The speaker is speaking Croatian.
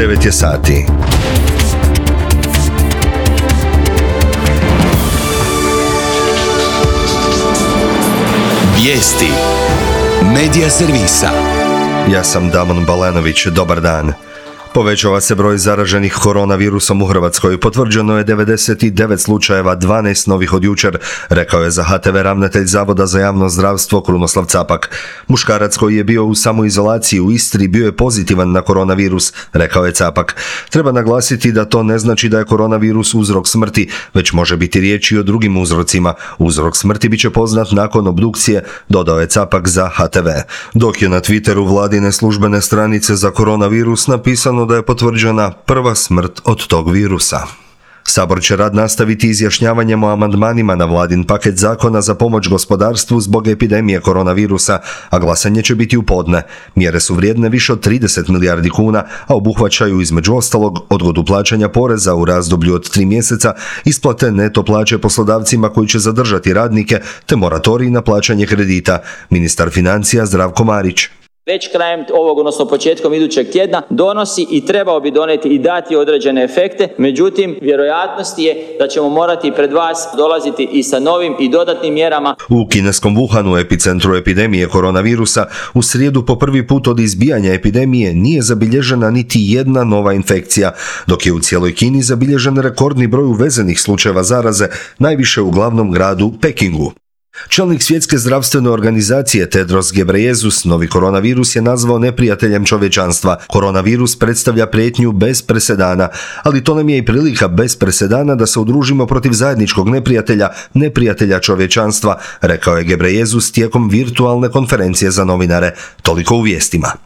9 je sati. Vijesti Medija servisa. Ja sam Damon Balenović, dobar dan. Povećava se broj zaraženih koronavirusom u Hrvatskoj. Potvrđeno je 99 slučajeva, 12 novih od jučer, rekao je za HTV ravnatelj Zavoda za javno zdravstvo Krunoslav Capak. Muškarac koji je bio u samoizolaciji u Istri bio je pozitivan na koronavirus, rekao je Capak. Treba naglasiti da to ne znači da je koronavirus uzrok smrti, već može biti riječ i o drugim uzrocima. Uzrok smrti bit će poznat nakon obdukcije, dodao je Capak za HTV. Dok je na Twitteru vladine službene stranice za koronavirus napisano da je potvrđena prva smrt od tog virusa. Sabor će rad nastaviti izjašnjavanjem o amandmanima na vladin paket zakona za pomoć gospodarstvu zbog epidemije koronavirusa, a glasanje će biti u podne. Mjere su vrijedne više od 30 milijardi kuna, a obuhvaćaju između ostalog odgodu plaćanja poreza u razdoblju od 3 mjeseca, isplate neto plaće poslodavcima koji će zadržati radnike, te moratorij na plaćanje kredita. Ministar financija Zdravko Marić. Već krajem ovog, odnosno početkom idućeg tjedna, donosi i trebao bi donijeti i dati određene efekte. Međutim, vjerojatnost je da ćemo morati pred vas dolaziti i sa novim i dodatnim mjerama. U kineskom Wuhanu, epicentru epidemije koronavirusa, u srijedu po prvi put od izbijanja epidemije nije zabilježena niti jedna nova infekcija, dok je u cijeloj Kini zabilježen rekordni broj uvezenih slučajeva zaraze, najviše u glavnom gradu Pekingu. Čelnik Svjetske zdravstvene organizacije Tedros Ghebreyesus novi koronavirus je nazvao neprijateljem čovječanstva. Koronavirus predstavlja prijetnju bez presedana, ali to nam je i prilika bez presedana da se udružimo protiv zajedničkog neprijatelja čovječanstva, rekao je Ghebreyesus tijekom virtualne konferencije za novinare. Toliko u vijestima.